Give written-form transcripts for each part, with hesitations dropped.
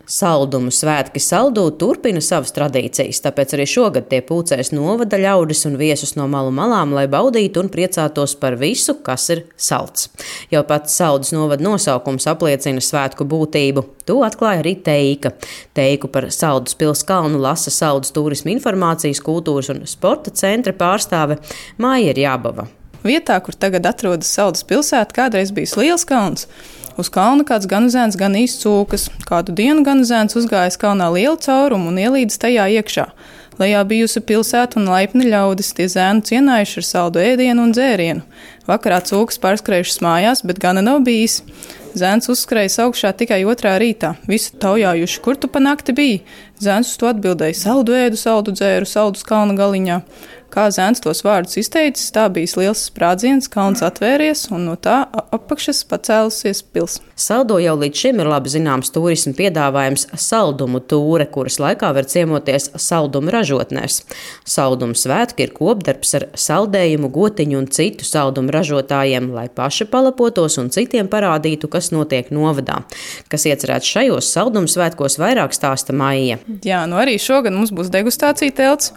Saldumu svētki Saldū turpina savas tradīcijas, tāpēc arī šogad tie pulcēs novada ļaudis un viesus no malu malām, lai baudītu un priecātos par visu, kas ir salds. Jau pats Saldus novada nosaukums apliecina svētku būtību. To atklāja arī Teika. Teiku par Saldus pils kalnu lasa Saldus turisma informācijas, kultūras un sporta centra pārstāve Māja Jābava. Vietā, kur tagad atrodas Saldus pilsēta, kādreiz bijis liels kalns. Uz kalna kāds gan zēns, gan īsts cūkas. Kādu dienu gan zēns uzgājis kalnā lielu caurumu un ielīdis tajā iekšā. Lejā bijusi pilsēta un laipni ļaudis, tie zēnu cienājuši ar saldu ēdienu un dzērienu. Vakarā cūkas pārskrējušas mājās, bet gana nav bijis. Zēns uzskrējis augšā tikai 2. rītā. Visi taujājuši, kur tu pa nakti biji? Zēns uz to atbildēja: saldu ēdu, saldu dzēru, saldus kalna galiņā. Kā zēns tos vārdus izteicis, tā bijis liels sprādziens, kalns atvēries un no tā apakšas pacēlusies pils. Saldo jau līdz šim ir labi zināms turisma piedāvājums saldumu tūre, kuras laikā var ciemoties saldumu ražotnēs. Saldumu svētki ir kopdarbs ar saldējumu, gotiņu un citu saldumu ražotājiem, lai paši palapotos un citiem parādītu, kas notiek novadā. Kas iecerēts šajos saldumu svētkos, vairāk stāsta Maija. Jā, arī šogad mums būs degustācija telts,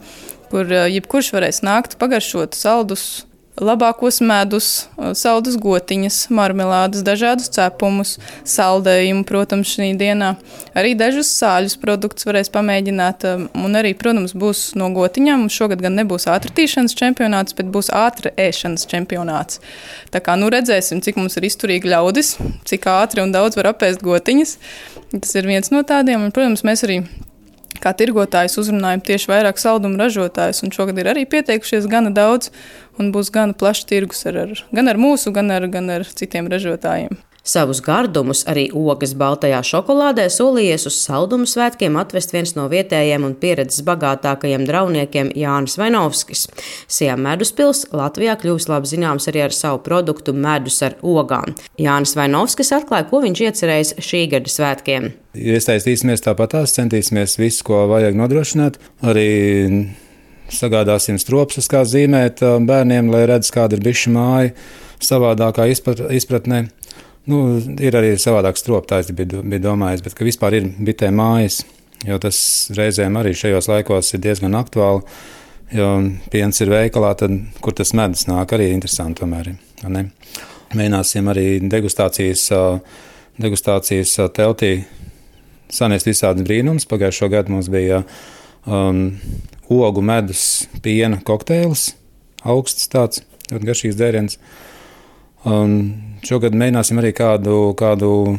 kur jebkurš varēs nākt pagaršot saldus, labākos medus, saldus gotiņas, marmelādes, dažādus cepumus, saldējumu, protams, šī dienā. Arī dažus sāļus produktus varēs pamēģināt, un arī, protams, būs no gotiņām. Šogad gan nebūs ātrtīšanas čempionāts, bet būs ātra ēšanas čempionāts. Tā kā redzēsim, cik mums ir izturīgi ļaudis, cik ātri un daudz var apēst gotiņas. Tas ir viens no tādiem, un, protams, mēs arī kā tirgotājs uzrunājam tieši vairāk saldumu ražotājus, un šogad ir arī pieteikušies gana daudz, un būs gana plašs tirgus gan ar mūsu, gan ar citiem ražotājiem. Savus gardumus, arī ogas baltajā šokolādē, solījies uz saldumu svētkiem atvest viens no vietējiem un pieredzes bagātākajiem drauniekiem Jānis Vainovskis. Sijā meduspils Latvijā kļūs labi zināms arī ar savu produktu medus ar ogām. Jānis Vainovskis atklāja, ko viņš iecerējis šī gada svētkiem. Iesaistīsimies tāpatās, centīsimies visu, ko vajag nodrošināt. Arī sagādāsim stropsus, kā zīmēt bērniem, lai redz, kāda ir bišu māja savādākā izpratnē. Ir arī savādāks stroptājs, bija domājis, bet ka vispār ir bitē mājas, jo tas reizēm arī šajos laikos ir diezgan aktuāli, jo piens ir veikalā, tad kur tas medus nāk, arī interesanti tomēr. Ne? Mēģināsim arī degustācijas teltī sanest visādi brīnums. Pagājušo gadu mums bija ogu medus piena kokteils, augsts tāds, ļoti garšīgs dzēriens. Šogad mēģināsim arī kādu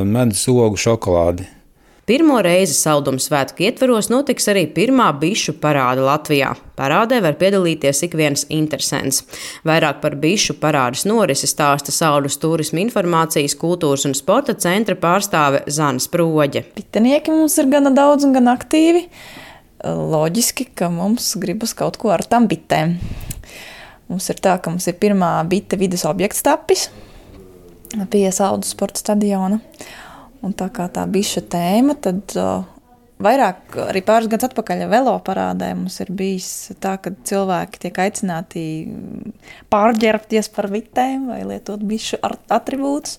medus ogu šokolādi. Pirmo reizi saldumu svētku ietvaros notiks arī pirmā bišu parāde Latvijā. Parādē var piedalīties ik viens interesents. Vairāk par bišu parādes norisi stāsta Saldus turisma informācijas, kultūras un sporta centra pārstāve Zana Sproģe. Bitenieki mums ir gana daudz un gan aktīvi. Loģiski, ka mums gribas kaut ko ar tām bitēm. Mums ir tā, ka mums ir pirmā bite vides objekts tapis pie Saldus sporta stadiona. Un tā kā tā biša tēma, tad vairāk arī pāris gadus atpakaļ velo parādē mums ir bijis tā, ka cilvēki tiek aicināti pārģērbties par bitēm vai lietot bišu atribūtus.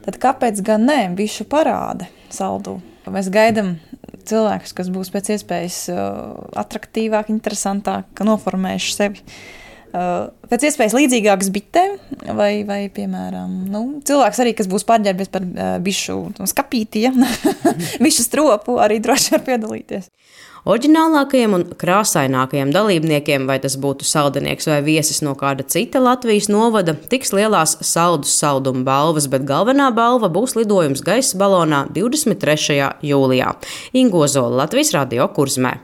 Tad kāpēc gan ne bišu parāde Saldū? Mēs gaidām cilvēkus, kas būs pēc iespējas atraktīvāk, interesantāk, noformējuši sevi pēc iespējas līdzīgākas bitēm, vai piemēram, cilvēks arī, kas būs pārģērbies par bišu skapīti, bišu stropu, arī droši var piedalīties. Oriģinālākajiem un krāsainākajiem dalībniekiem, vai tas būtu saldinieks vai viesis no kāda cita Latvijas novada, tiks lielās Saldus saldumu balvas, bet galvenā balva būs lidojums gaisa balonā 23. jūlijā. Inga Ozola, Latvijas Radio Kurzemē.